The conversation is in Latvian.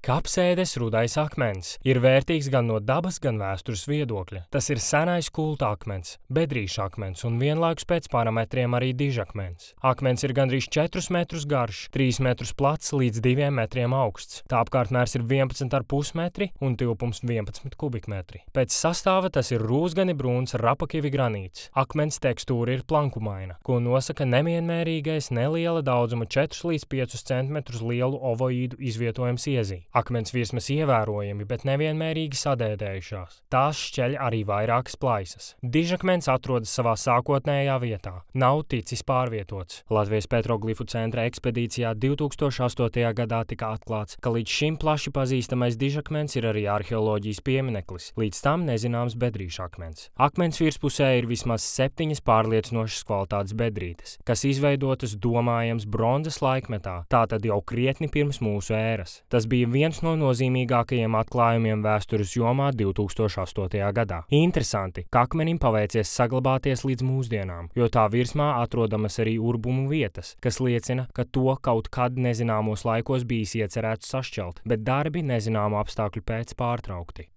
Kapsēdes rudais akmens ir vērtīgs gan no dabas, gan vēstures viedokļa. Tas ir senais kulta akmens, bedrīša akmens un vienlaikus pēc parametriem arī dižakmens. Akmens ir gandrīz 4 metrus garš, 3 metrus plats līdz 2 metriem augsts. Tā apkārtmērs ir 11,5 metri un tilpums 11 kubikmetri. Pēc sastāva tas ir rūsgani brūns rapakivi granīts. Akmens tekstūra ir plankumaina, ko nosaka nevienmērīgais neliela daudzuma 4 līdz 5 cm lielu ovoīdu izvietojums iezī. Akmens virsmas ievērojami, bet nevienmērīgi sadēdējušās. Tās šķeļ arī vairākas plaisas. Dižakmens atrodas savā sākotnējā vietā. Nav ticis pārvietots. Latvijas petroglifu centra ekspedīcijā 2008. gadā tika atklāts, ka līdz šim plaši pazīstamais dižakmens ir arī arheoloģijas piemineklis. Līdz tam nezināms bedrīša akmens. Akmens virspusē ir vismaz 7 pārliecinošas kvalitātes bedrītes, kas izveidotas domājams bronzas laikmetā, tātad jau krietni pirms mūsu ēras. Tas bija viens no nozīmīgākajiem atklājumiem vēstures jomā 2008. gadā. Interesanti, ka akmenim paveicies saglabāties līdz mūsdienām, jo tā virsmā atrodamas arī urbumu vietas, kas liecina, ka to kaut kad nezināmos laikos bijis iecerēts sašķelt, bet darbi nezināmu apstākļu pēc pārtraukti.